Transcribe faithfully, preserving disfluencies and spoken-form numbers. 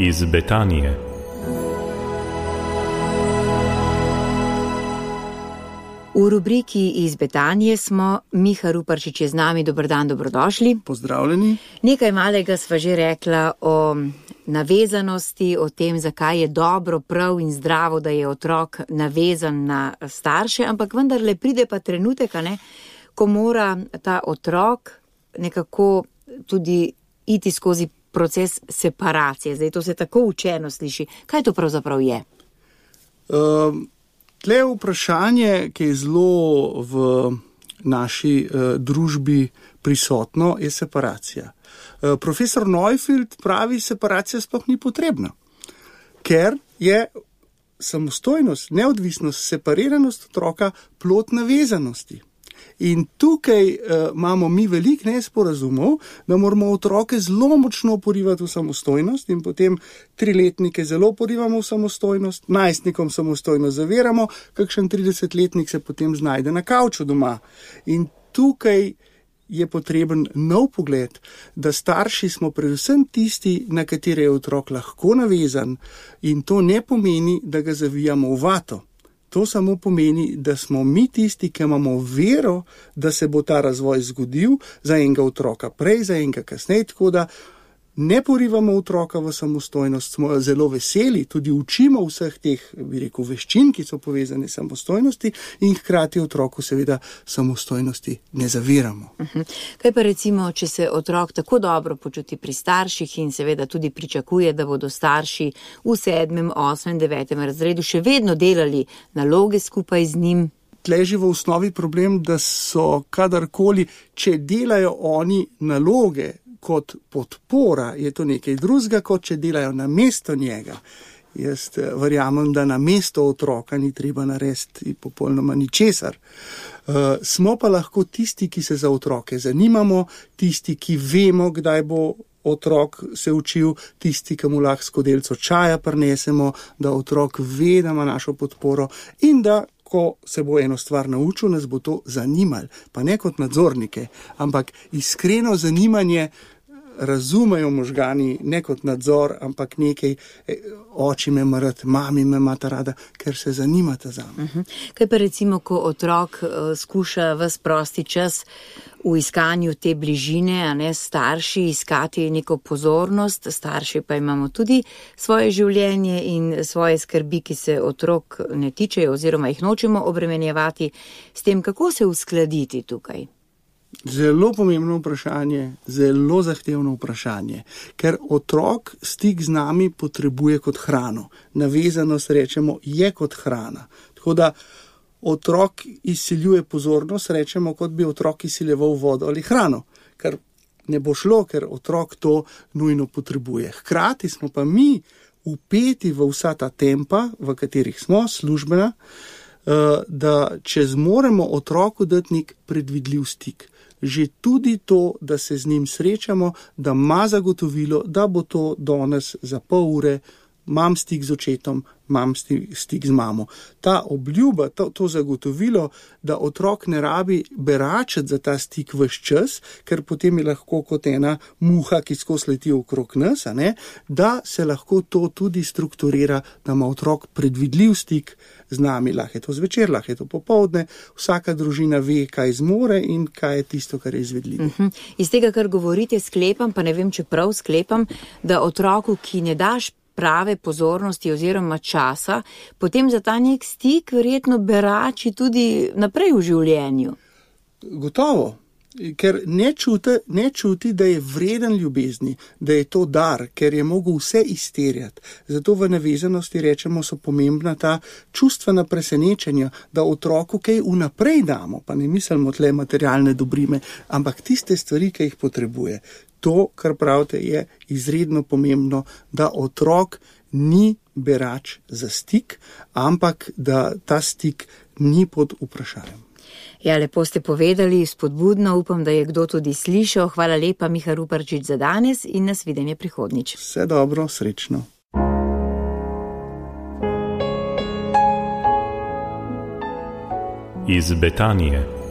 iz Betanije. V rubriki iz Betanije smo, Miha Ruparčič je z nami, dober dan, dobrodošli. Pozdravljeni. Nekaj malega sva že rekla o navezanosti, o tem, zakaj je dobro, prav in zdravo, da je otrok navezan na starše, ampak vendarle pride pa trenutek, a ne, ko mora ta otrok nekako tudi iti skozi proces separacije. Zdaj to se tako učeno sliši. Kaj to pravzaprav je? Um... Tle je vprašanje, ki je zelo v naši uh, družbi prisotno, je separacija. Uh, profesor Neufeld pravi, separacija sploh ni potrebna, ker je samostojnost, neodvisnost, separiranost otroka plod navezanosti. In tukaj uh, imamo mi veliko nesporazumov, da moramo otroke zelo močno porivati v samostojnost in potem triletnike zelo porivamo v samostojnost, najstnikom samostojnost zaviramo, kakšen tridesetletnik se potem znajde na kavču doma. In tukaj je potreben nov pogled, da starši smo predvsem tisti, na katere je otrok lahko navezan, in to ne pomeni, da ga zavijamo v vato. To samo pomeni, da smo mi tisti, ki imamo vero, da se bo ta razvoj zgodil za enega otroka prej, za enega kasneje, tako da ne porivamo otroka v samostojnost, smo zelo veseli, tudi učimo vseh teh, bi rekel, veščin, ki so povezane s samostojnosti in hkrati otroku seveda samostojnosti ne zaviramo. Uh-huh. Kaj pa recimo, če se otrok tako dobro počuti pri starših in seveda tudi pričakuje, da bodo starši v sedmem, osmem, devetem razredu še vedno delali naloge skupaj z njim? Leži v osnovi problem, da so kadarkoli, če delajo oni naloge kot podpora, je to nekaj drugega, kot če delajo namesto njega. Jaz verjamem, da namesto otroka ni treba narediti popolnoma ničesar. Uh, smo pa lahko tisti, ki se za otroke zanimamo, tisti, ki vemo, kdaj bo otrok se učil, tisti, ki mu lahko skodelico čaja prinesemo, da otrok ve, da ima našo podporo in da ko se bo eno stvar naučil, nas bo to zanimalo. Pa ne kot nadzornike, ampak iskreno zanimanje razumejo možgani, ne kot nadzor, ampak nekaj, oči me ima rad, mami me imata rada, ker se zanimata za me. Uh-huh. Kaj pa recimo, ko otrok uh, skuša ves prosti čas v iskanju te bližine, a ne starši, iskati neko pozornost, starši pa imamo tudi svoje življenje in svoje skrbi, ki se otrok ne tičejo oziroma jih nočemo obremenjevati. S tem, kako se uskladiti tukaj? Zelo pomembno vprašanje, zelo zahtevno vprašanje, ker otrok stik z nami potrebuje kot hrano. Navezanost, rečemo, je kot hrana. Tako da otrok izsiljuje pozornost, rečemo, kot bi otrok izsiljeval vodo ali hrano, ker ne bo šlo, ker otrok to nujno potrebuje. Hkrati smo pa mi vpeti v vsa ta tempa, v katerih smo, službena, da če zmoremo otroku dati nek predvidljiv stik, že tudi to, da se z njim srečamo, da ima zagotovilo, da bo to danes za pol ure, imam stik z očetom, imam stik z mamo. Ta obljuba, to, to zagotovilo, da otrok ne rabi beračiti za ta stik ves čas, ker potem je lahko kot ena muha, ki skozi leti okrog nas, a ne, da se lahko to tudi strukturira, da ima otrok predvidljiv stik z nami, lahko je to zvečer, lahko je to popoldne, vsaka družina ve, kaj zmore in kaj je tisto, kar je izvedljivo. Uh-huh. Iz tega, kar govorite, sklepam, pa ne vem, če prav sklepam, da otroku, ki ne daš prave pozornosti oziroma časa, potem za ta nek stik verjetno berači tudi naprej v življenju. Gotovo, ker ne čuti, ne čuti, da je vreden ljubezni, da je to dar, ker je mogel vse izterjati. Zato v navezanosti rečemo, so pomembna ta čustvena presenečenja, da otroku kaj vnaprej damo, pa ne mislimo tle materialne dobrine, ampak tiste stvari, ki jih potrebuje. To, kar pravite, je izredno pomembno, da otrok ni berač za stik, ampak da ta stik ni pod vprašanjem. Ja, lepo ste povedali, spodbudno, upam, da je kdo tudi slišal. Hvala lepa, Miha Ruparčič, za danes in nasvidenje prihodnjič. Vse dobro, srečno. Iz Betanije.